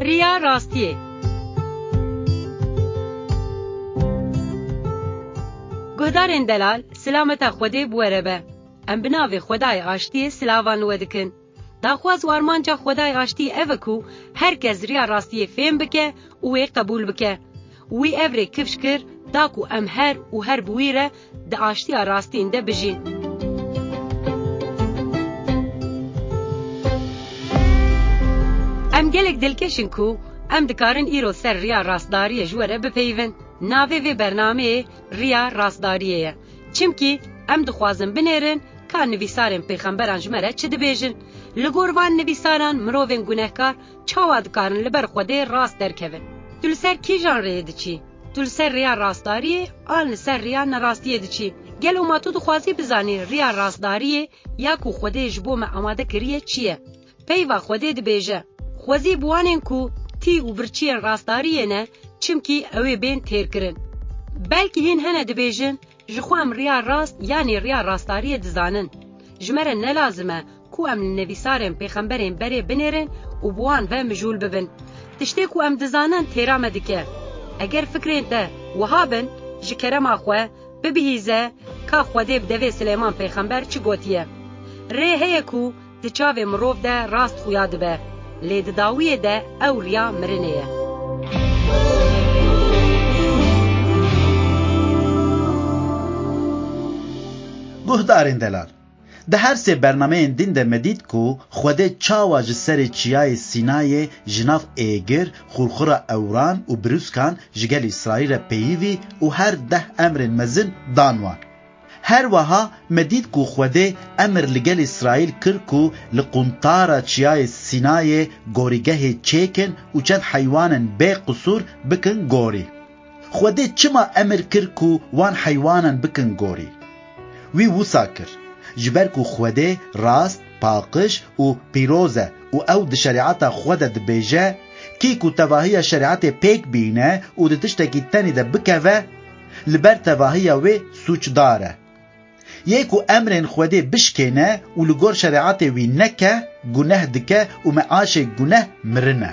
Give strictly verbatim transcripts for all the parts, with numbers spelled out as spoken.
Riya rastiyê. Guhdarên delal, silameta Xwedê bi we re be. Em bi navê Xwedayê Aştiyê silavan li we dikin. Daxwaz û armanca Xwedayê Aştiyê ev e ku her kes riya rastiyê fêm bike û wê qebûl bike. Wî ev rê kifş kir, da ku em her û her bi wî re di aştiya rastîn de bijîn. Em gelek dilkeş in ku em dikarin îro ser riya rastdariyê ji we re bipeyivin. Navê vê bernameyê Riya Rastdariyê ye. Çimkî em dixwazin binêrin ka nivîsarên pêxemberan ji me re çi dibêjin. Li gor van nivîsaran mirovên gunehkar çawa dikarin li ber Xwedê rast derkevin? Tu li ser kîjan rêyê diçî? Tu li ser rêya rastdariyê an li ser rêya nerastiyê diçî? Gelo ma tu dixwazî bizanî rêya rastdariyê ya ku Xwedê ji bo me amade kiriye çi ye? Peyva Xwedê dibêje, Xwezî bi wanên ku tî û birçiyên rastdariyê ne, çimkî ew ê bên têrkirin. Belkî hîn hene dibêjin, ji xwe em riya rast yanî riya rastdariyê dizanin. Ji me re ne lazim e ku em li nivîsarên pêxemberên berê binêrin û bi wan ve mijûl bibin. Tiştê ku em dizanin têra me dike. Eger fikrên te wiha bin, ji kerema xwe bibihîze ka Xwedê bi devê Silêman pêxember çi gotiye. Rê heye ku di çavê mirov de rast xuya dibe, lê di dawiyê de ew riya mirinê ye. Guhdarên delal, di her sê bernameyên din de me dît ku Xwedê çawa ji serê çiyayê Sînayê ji nav êgir, xurxura ewran û birûskan ji gel Îsraîl re peyivî û her deh emrên mezin dan wan. Her wiha me dît ku Xwedê emir li gel Îsraîl kir ku li quntara çiyayê Sînayê gorîgehê çêkin û çend heywanên bê qisûr bikin gorî. Xwedê çima emir kir ku wan heywanan bikin gorî? Wî wisa kir, ji ber ku Xwedê rast, paqij û pîroz e û ew di şerîeta xwe de dibêje, kî ku tevahiya şerîetê pêk bîne û di tiştekî tenê de bikeve, li ber tevahiya wê sûcdar e. Yê ku emrên Xwedê bişkêne û li gor şerîetê wî neke, guneh dike û meaşê guneh mirin e.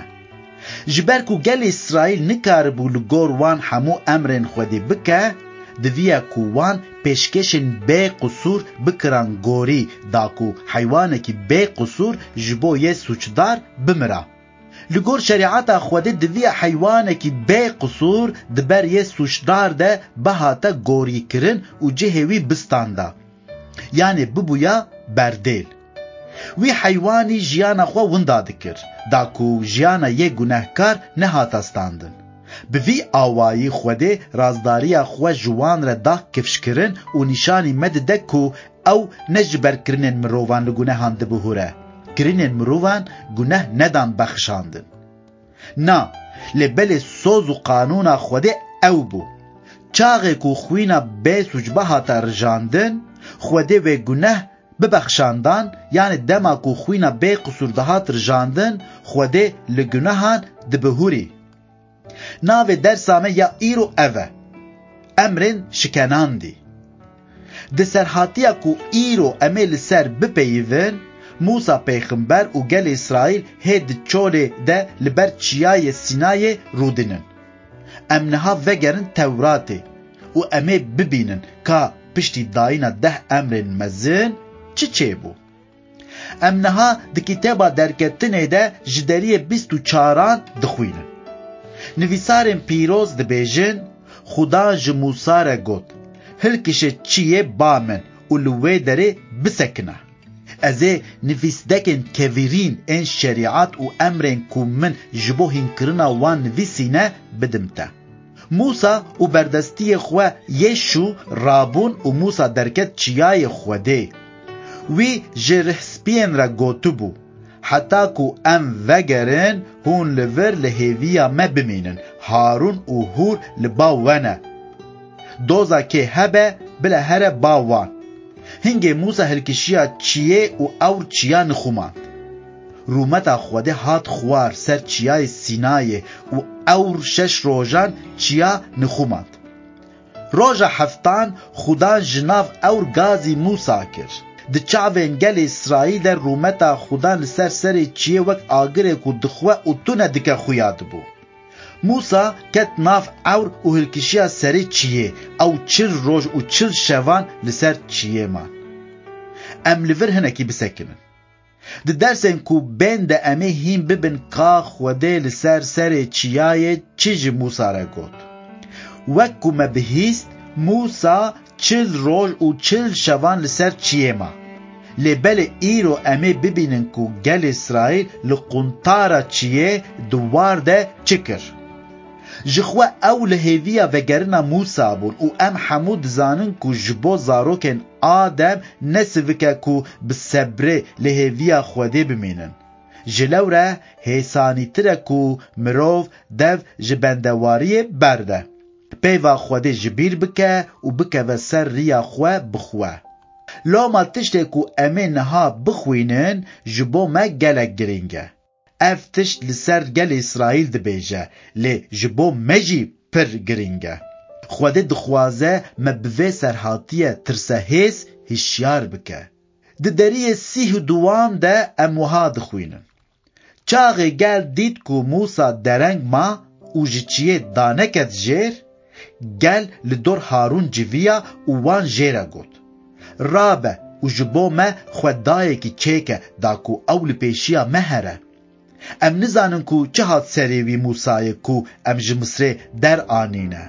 Ji ber ku gelê Îsraîl nikaribû li gor wan hemû emrên Xwedê bike, diviya ku wan pêşkêşên bê qisûr bikiran gorî, da ku heywanekî bê qisûr ji bo yê sûcdar bimira. Li gor şerîeta Xwedê diviya heywanekî bê qisûr di ber yê sûcdar de bihate gorîkirin û cihê wî bistanda. Yanê bibûya berdêl. Wî heywanî jiyana xwe winda dikir, da ku jiyana yê gunehkar nehata standin. Bi vî awayî Xwedê razdariya xwe ji wan re da kifşkirin û nîşanî me dide ku ew ne ji ber kirinên mirovan li gunehan dibihûre. Kirinên mirovan guneh nedan bexşandin. Na, lê belê soz û qanûna Xwedê ew bû. Çaxê ku xwîna bê sûc bihata rijandin, Xwedê wê guneh bibexşandan, yanî dema ku xwîna bê qisûr dihat rijandin, Xwedê li gunehan dibihûrî. Navê dersa me ya îro ev e. Emrên şikenandî. Di serhatiya ku îro em ê li ser bipeyivin, Mûsa pêxember û gelê Îsraîl hê di çolê de li ber çiyayê Sînayê rûdinin. Em niha vegerin Tewratê û em ê bibînin ka piştî dayîna deh emrên mezin çi çêbû. Em niha di kitêba Derketinê de ji deriyê bîst û çaran dixwînin. Nivîsarên pîroz dibêjin, Xudan ji Mûsa re got, Hilkişe çiyê ba min û li wê derê bisekine. Ez ê nivîsdekên kevirîn ên şerîet û emrên ku min ji bo hînkirina wan nivîsîne bidim te. Mûsa û berdestiyê xwe yê şû rabûn û Mûsa derket çiyayê Xwedê. Wî ji rihspiyên re gotibû, Heta ku em vegerin, hûn li vir li hêviya me bimînin, Harûn û Hûr li ba we ne. Doza kê hebe, bile here ba wan. Hingê Mûsa hilkişiya çiyê û ewr çiya nixumand. Rûmeta Xwedê hat xwar ser çiyayê Sînayê û ewr şeş rojan çiya nixumand. Roja heftan Xudan ji nav ewr gazî Mûsa kir. Di çavên gelê Îsraîl de rûmeta Xudan li ser serê çiyê wek agirê ku dixwe û tune dike xuya dibû. Mûsa ket nav ewr û hilkişiya serê çiyê, ew çil roj û çil şevan li ser çiyê man. Em li vir hinekî bisekinin. Di dersên ku bên de em ê hîn bibin ka Xwedê li ser serê çiyayê çi ji Mûsa re got. Wek ku me bihîst, Mûsa çil roj û çil şevan li ser çiyê ma. Lê belê îro em ê bibînin ku gelê Îsraîl li quntara çiyê di war de çi kir. Ji xwe ew li hêviya vegerina Mûsa bûn û em hemû dizanin ku ji bo zarokên Adem ne sivik e ku bi sebrê li hêviya Xwedê bimînin. Ji lewre hêsanîtir e ku mirov dev ji bendewariyê berde. Peyva Xwedê ji bîr bike û bikeve ser riya xwe bi xwe. Loma tiştê ku em ê niha bixwînin ji bo me gelek girîng e. Ev tişt li ser gelê Îsraîl dibêje, lê ji bo me jî pir girîng e. Xwedê dixwaze me bi vê serhatiye tirsehêz hişyar bike. Di deriyê sîh û duwan de em wiha dixwînin. Çaxê gel dît ku Mûsa dereng ma û ji çiyê daneket jêr, gel li dor Harûn civiya û wan jê re got, Rabe û ji bo me xwe dayekî çêke da ku ew li pêşiya me here. Em nizanin ku çi hat serê wî Mûsayê ku em ji Misrê deranîne.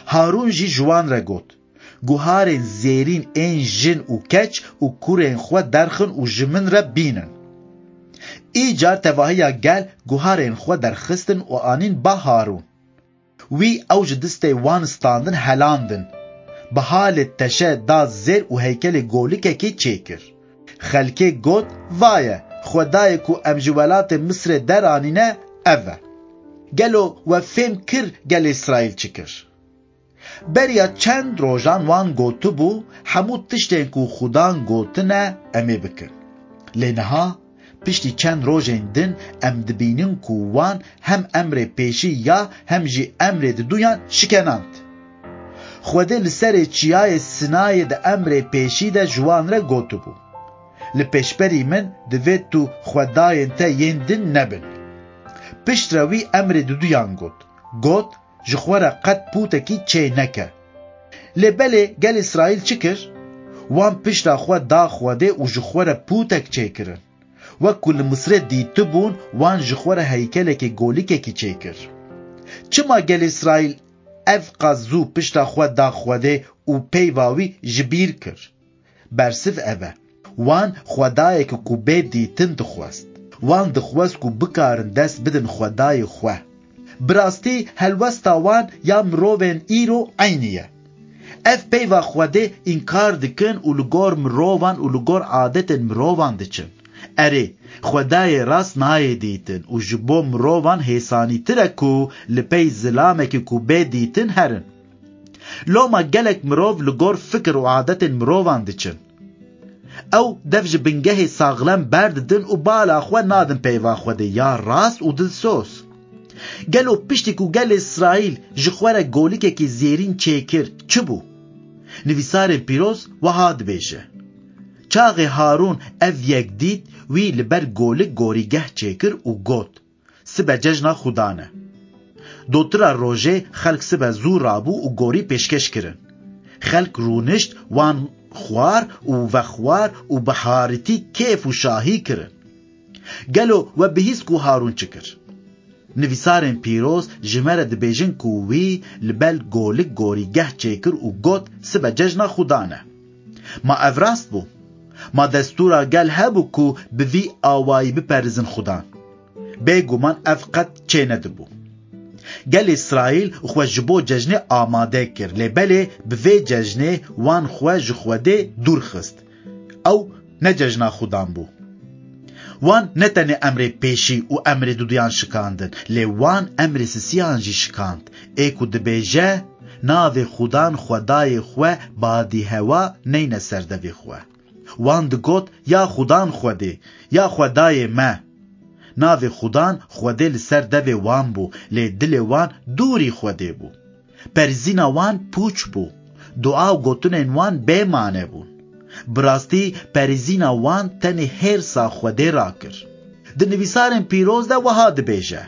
Harûn jî ji wan re got, Guharên zêrîn ên jin û keç û kurên xwe derxin û ji min re bînin. Îcar tevahiya gel guharên xwe derxistin û anîn ba Harûn. Wî ew ji distê wan standin helandin. Bi halê teşe da zêr û heykelê golikekê çêkir. Xelkê got, Vaye, Xwedayê ku em ji welatê Misrê deranîne, ev e. Gelo we fêm kir gelê Îsraîl çi kir? Beriya çend rojan wan gotibû, hemû tiştên ku Xudan gotine, em ê bikin. Lê niha, piştî çend rojên din, em dibînin ku wan hem emrê pêşî ya hem jî emrê diduyan şikenand. Xwedê li serê çiyayê Sinayê di emrê pêşî de ji wan re gotibû, Li pêşberî min divê tu xwedayên te yên din nebin. Piştre wî emrê diduyan got. Got, Ji xwe re qet pûtekî çê neke. Lê belê gel Îsraîl çi kir? Wan pişta xwe da Xwedê û ji xwe re pûtek çêkirin. Wek ku li Misrê dîtibûn, wan ji xwe re heykelekê golikekî çêkir. Çima gel Îsraîl ev qas zû pişta xwe da Xwedê û peyva wî ji bîr kir? Bersiv ev e. Wan xwedayeke ku bê dîtin dixwest. Wan dixwest ku bikarin dest bidin xwedayê xwe. Bi rastî helwesta wan ya mirovên îro eynî ye. Ev peyva Xwedê înkar dikin û li gor mirovan û li gor adetên mirovan diçin. Erê, Xwedayê rast nayê dîtin û ji bo mirovan hêsanîtir e ku li pey zilamekî ku bê dîtin herin. Loma gelek mirov li gor fikir û adetên mirovan diçin. Ew dev ji bingehê saxlem berdidin û bala xwe nadin peyva Xwedê ya rast û dilsoz. Gelo piştî ku gelê Îsraîl ji xwe re golikekî zêrîn çêkir, çi bû? Nivîsarên pîroz wiha dibêje, Çaxê Harûn ev yek dît, wî li ber golik gorîgeh çêkir û got, Sibe cejna Xudan e. Dotira rojê xelk sibe zû rabû û gorî pêşkêş kirin. Xelk rûnişt, wan xwar û vexwar û bi harîtî kêf û şahî kirin. Gelo we bihîst ku Harûn çi kir? Nivîsarên pîroz ji me re dibêjin ku wî li ber golik gorîgeh çêkir û got, Sibe cejna Xudan e. Ma ev rast bû? Ma destûra gel hebû ku bi vî awayî biperizin Xudan? Bêguman ev qet çênedibû. Gelê Îsraîl xwe ji bo cejnê amade kir, lê belê bi vê cejnê wan xwe ji Xwedê dûr xist. Ew ne cejna Xudan bû. Wan ne tenê emrê pêşî û emrê duduyan şikandin, lê wan emrê sisiyan jî şikand, ê ku dibêje, Navê Xudan Xwedayê xwe badî hewa neyne ser devê xwe. Wan digot, Ya Xudan Xwedê, ya Xwedayê me! Navê Xudan Xwedê li ser devê wan bû, lê dilê wan dûrî Xwedê bû. Perzîna wan pûç bû. Dua û gotinên wan bê mane bûn. Bi rastî perîzîna wan tenê hêrsa Xwedê rakir. Di nivîsarên pîroz de wiha dibêje,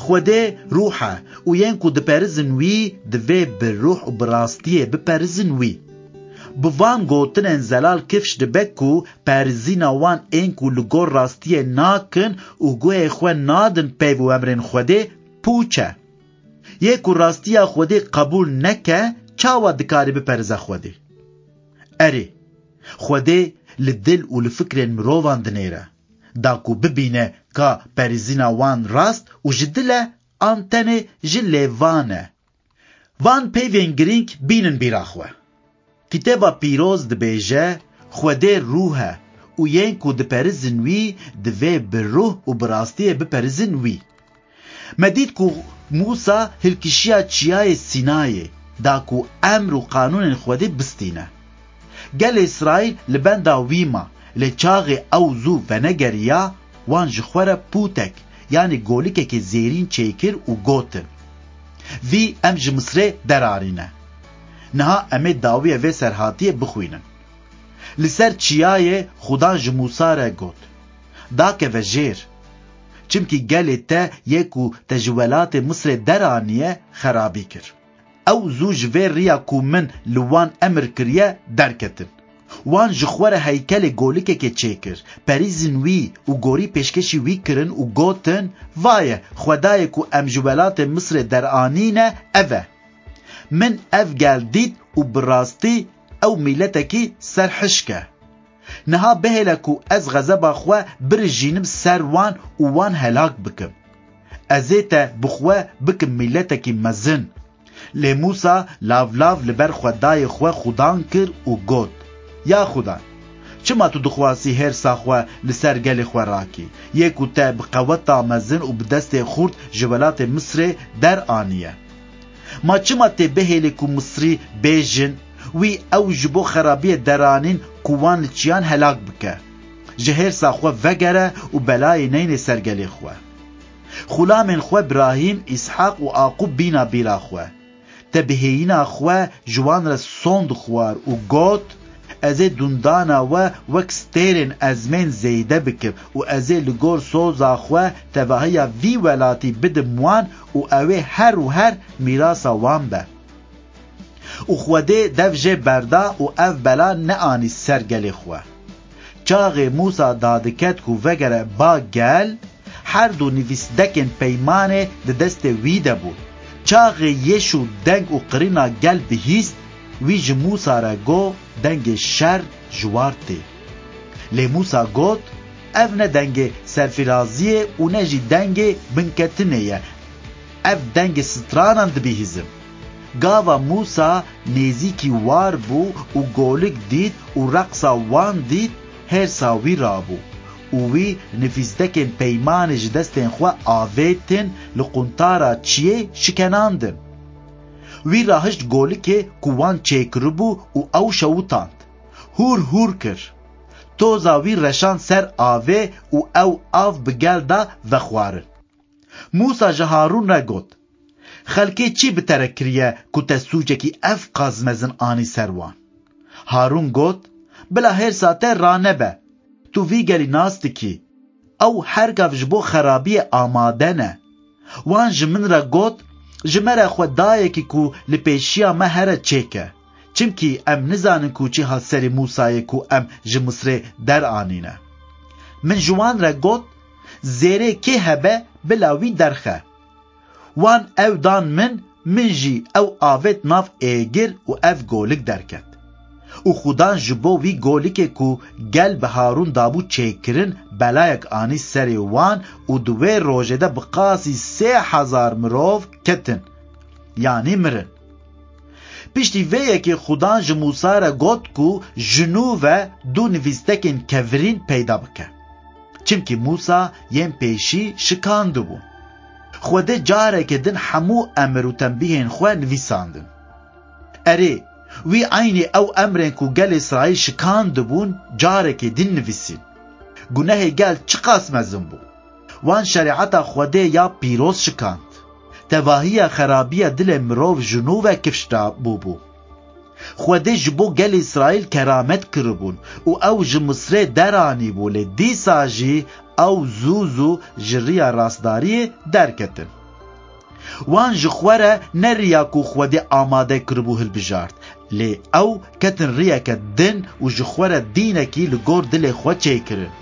Xwedê ruh e û yên ku diperizin wî divê bi ruh û bi rastiyê biperizin wî. Bi van gotinên zelal kifş dibe ku perîzîna wan ên ku li gor rastiyê nakin û guhê xwe nadin peyv û emrên Xwedê pûç e. Yê ku rastiya Xwedê qebûl neke, çawa dikare biperize Xwedê? Erê, Xwedê li dil û li fikrên mirovan dinêre, da ku bibîne ka perîzîna wan rast û ji dil e an tenê ji lêvan e. Van peyvên girîng bînin bîra xwe. Kitêba Pîroz dibêje, Xwedê ruh e û yên ku diperizin wî divê bi ruh û bi rastiyê biperizin wî. Me dît ku Mûsa hilkişiya çiyayê Sînayê, da ku emr û qanûnên Xwedê bistîne. Gelê Îsraîl li benda wî ma, lê çaxê ew zû venegeriya, wan ji xwe re pûtek, yanî golikekê zêrîn çêkir û gotin, Vî em ji Misrê deranîne. Niha em ê dawiyê vê serhatiyê bixwînin. Li ser çiyayê Xudan ji Mûsa re got, Dakeve jêr. Çimkî gelê te yê ku te ji welatê Misrê deraniye xerabî kir. Ew zû ji vê riya ku min li wan emir kiriye derketin. Wan ji xwe re heykelê golikekê çêkir, perîzin wî û gorî pêşkêşî wî kirin û gotin, Vaye, Xwedayê ku em ji welatê Misrê deranîne, ev e. Min ev gel dît û bi rastî ew mîletekî serhişk e. Niha bihêle ku ez xezeba xwe birijînim ser wan û wan helak bikim. Ez ê te bi xwe bikim mîletekî mezin. Lê Mûsa lav lav li ber Xwedayê xwe xudan kir û got, Ya Xudan, çima tu dixwazî hêrsa xwe li ser gelê xwe rakî, yê ku te bi qeweta mezin û bi destê xurt ji welatê Misrê deraniye? Ma çima tê bihêlî ku Misrî bêjin, Wî ew ji bo xerabiyê deranîn ku wan li çiyan helak bike? Ji hêrsa xwe vegere û belayê neynê ser gelê xwe. Xulamên xwe Birahîm, Îshaq û Aqûb bîna bîra xwe. Te bi hêyîna xwe ji wan re sond xwar û got, Ez ê dundana we wek stêrên ezmên zêde bikim û ez ê li gor soza xwe tevahiya vî welatî bidim wan û ew ê her û her mîrasa wan be. Û Xwedê dev jê berda û ev bela neanî ser gelê xwe. Çaxê Mûsa dadiket ku vegere ba gel, her du nivîsdekên peymanê di destê wî de bûn. Çaxê yêş û deng û qirîna gel bihîst, wî ji Mûsa re got, Dengê şer ji war tê. Lê Mûsa got, Ev ne dengê serfiraziyê û ne jî dengê binketinê ye. Ev dengê stranan dibihîzim. Gava Mûsa nêzîkî war bû û golik dît û reqsa wan dît, hêrsa wî rabû û wî nivîsdekên peymanê ji destên xwe avêtin, li quntara çiyê şikenandin. Wî rahişt golikê ku wan çêkiribû û ew şewitand. Hûr hûr kir. Toza wî reşand ser avê û ew av bi gel da vexwarin. Mûsa ji Harûn re got, Xelkê çi bi te re kiriye ku te sûcekî ev qas mezin anî ser wan? Harûn got, Bila hêrsa te ranebe. Tu vî gelî nas dikî. Ew her gav ji bo xerabiyê amade ne. Wan ji min re got, Ji me re xwe dayekî ku li pêşiya me here çêke. Çimkî em nizanin ku çi hat serê Mûsayê ku em ji Misrê deranîne. Min ji wan re got, Zêrê kê hebe bila wî derxe. Wan ew dan min, min jî ew avêt nav êgir û ev golik derket. Û Xudan ji bo wî golikê ku gel bi Harûn dabû çêkirin, belayek anî serê wan û di wê rojê de bi qasî sê hezar mirov ketin, yanî mirin. Piştî vê yekê Xudan ji Mûsa re got ku ji nû ve du nivîstekên kevirîn peyda bike. Çimkî Mûsa yên pêşî şikandibû. Xwedê careke din hemû emir û tembîhên xwe nivîsandin. Erê, wî eynî ew emrên ku gelê Îsraîl şikandibûn, carekê din nivîsîn. Gunehê gel çiqas mezin bû. Wan şerîeta Xwedê ya pîroz şikand. Tevahiya xerabiya dilê mirov ji nû ve kifş da bûbû. Xwedê ji bo gelê Îsraîl keramet kiribûn û ew ji Misrê deranîbû, lê dîsa jî ew zû zû ji riya rastdariyê derketin. Wan ji xwe re ne riya ku Xwedê amade kiribû hilbijart, lê ew ketin riyeke din û ji xwe re dînekî li gor dilê xwe çêkirin.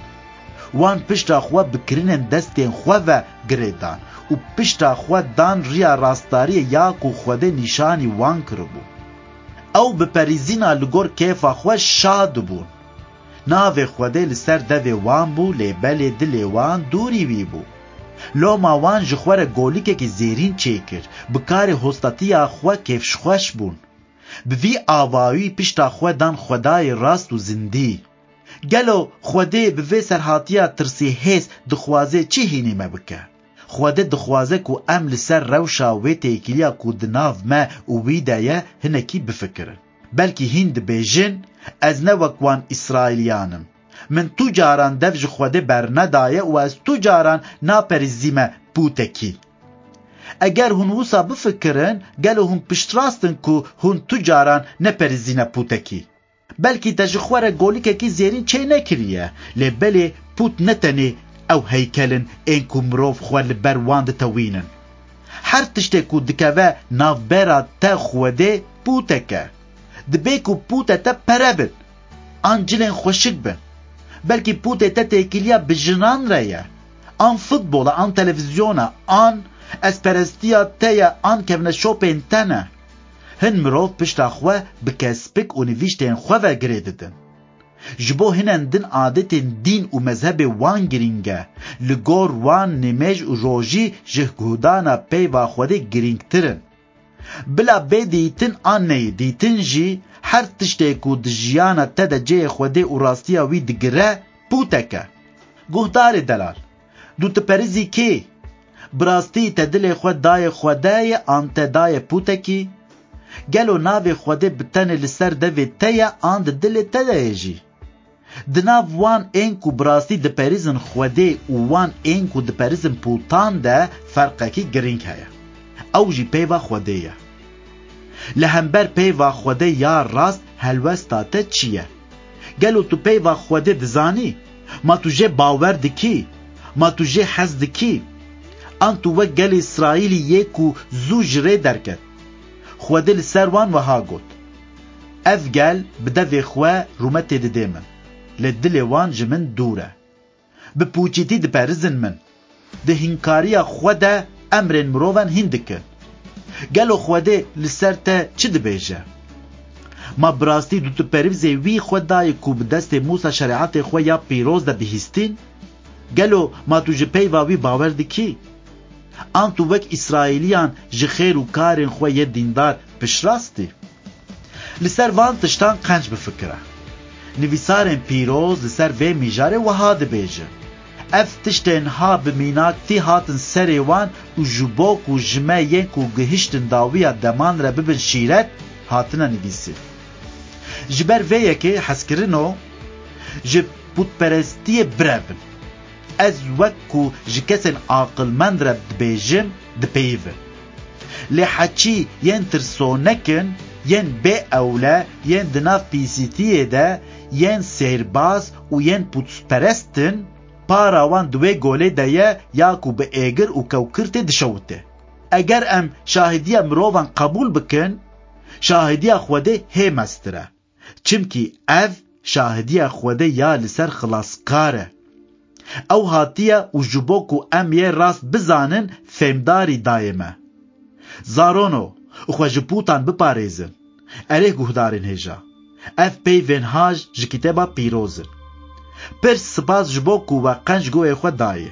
Wan pişta xwe bi kirinên destên xwe ve girê dan û pişta xwe dan riya rastdariyê ya ku Xwedê nîşanî wan kiribû. Ew bi perîzîna li gor kêfa xwe şa dibûn. Navê Xwedê li ser devê wan bû, lê belê dilê wan dûrî wî bû. Loma wan ji xwe re golikekî zêrîn çêkir, bi karê hostatiya xwe kêfxweş bûn. Bi vî awayî pişta xwe dan Xwedayê rast û zindî. Gelo Xwedê bi vê serhatiya tirsîhêz dixwaze çi hînî me bike? Xwedê dixwaze ku em li ser rewşa wê têkiliya ku di nav me û wî de ye hinekî bifikirin. Belkî hîn dibêjin, ez ne wek wan Îsraîliyan im. Min tu caran dev ji Xwedê bernedaye û ez tu caran naperîzîme pûtekî. Eger hûn wisa bifikirin, gelo hûn piştrast in ku hûn tu caran neperîzîne pûtekî? Belkî te ji xwe re golikekî zêrîn çênekiriye, lê belê pût ne tenê ew heykel in ên ku mirov xwe li ber wan ditewînin. Her tiştê ku dikeve navbera te Xwedê pûtek e. Dibê ku pûtê te pere bin, an cilên xweşik bin. Belkî pûtê te têkiliya bi jinan re ye, an futbola, an televîzyona, an ezperestiya te ye, an kevneşopên te ne. Hin mirov pişta xwe bi kespik û nivîştên xwe ve girê didin. Ji bo hinan din adetên dîn û mezhebê wan girîng e. Li gor wan nimêj û rojî ji guhdana peyva Xwedê girîngtir in. Bila bê dîtin an neyê dîtin jî, her tiştê ku di jiyana te de cihê Xwedê û rastiya wî digire, pûtek e. Guhdarê delal, tu diperîzî kê? Bi rastî te dilê xwe dayê Xwedê ye an te dayê pûtekî? Gelo navê Xwedê bi tenê li ser devê te ye an di dilê te de ye jî? Di nav wan ên ku bi rastî diperîzin Xwedê û wan ên ku diperîzin pûtan de ferqekî girîng heye. Ew jî peyva Xwedê ye. Li hember peyva Xwedê ya rast helwesta te çi ye? Gelo tu peyva Xwedê dizanî? Ma tu jê bawer dikî? Ma tu jê hez dikî? An tu wek gelê Îsraîlî yê ku zû ji rê derket? Xwedê li ser wan wiha got, Ev gel bi devê xwe rûmetê didê min, lê dilê wan ji min dûr e. Bi pûçîtî diperizin min. Di hînkariya xwe de emrên mirovan hîn dikin. Gelo Xwedê li ser te çi dibêje? Ma bi rastî tu diperîzê wî Xwedayê ku bi destê Mûsa şerîetê xwe ya pîroz de bihîstîn? Gelo ma tu ji peyva wî bawer dikî? An tu wek Îsraîliyan ji xêr û karên xwe yê dîndar piştrast î? Li ser van tiştan qenc bifikire. Nivîsarên pîroz li ser vê mijarê wiha dibêjin, Ev tiştên ha bi mînaktî hatin serê wan û ji bo ku ji me yên ku gihiştin dawiya deman re bibin şîret, hatine nivîsîn. Ji ber vê yekê hezkirino ji pûtperestiyê birevin. Ez wek ku ji kesên aqilmend re dibêjim, dipeyivin. Lê heçî yên tirsonek in, yên bê ewle, yên di nav pîsîtiyê de, yên sêrbaz û yên pûtperest in, para wan di wê golê de ye ya ku bi êgir û kewkirtê dişewite. Eger em şahidiya mirovan qebûl bikin, şahidiya Xwedê hê mestir e. Çimkî ev şahidiya Xwedê ya li ser xilaskar e. Ew hatiye û ji bo ku em yê rast bizanin, fêmdarî dayê me. Zarono, xwe ji pûtan biparêzin. Erê guhdarên hêja, ev peyvên haj ji Kitêba Pîroz in. Pir spas ji bo ku we qenc guhê xwe dayê.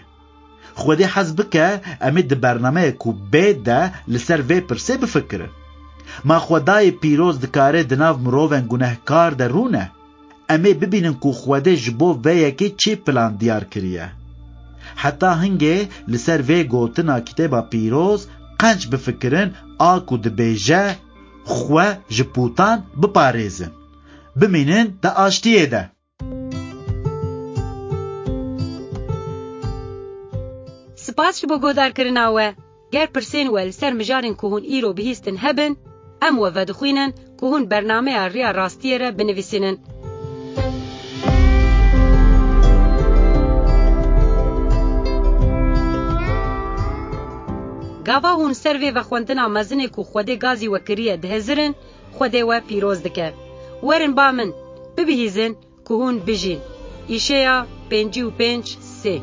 Xwedê hez bike, em ê di bernameyê ku bê de li ser vê pirsê bifikirin. Ma Xwedayê pîroz dikare di nav mirovên gunehkar de rûne? Em ê bibînin ku Xwedê ji bo vê yekê çi plan diyar kiriye. Heta hingê li ser vê gotina Kitêba Pîroz qenc bifikirin, a ku dibêje, Xwe ji pûtan biparêzin. Bimînin di aştiyê de. Spas ji bo guhdarkirina we. Ger pirsên we li ser mijarên ku hûn îro bihîstin hebin, em we vedixwînin ku hûn bernameya Riya Rastiyê re binivîsînin. Gava hûn ser vê vexwendina mezinê ku Xwedê gazî we kiriye dihizirin, Xwedê we pîroz dike. Werin ba min, bibihîzin ku hûn bijîn. Îşeya pêncî û pênc sê.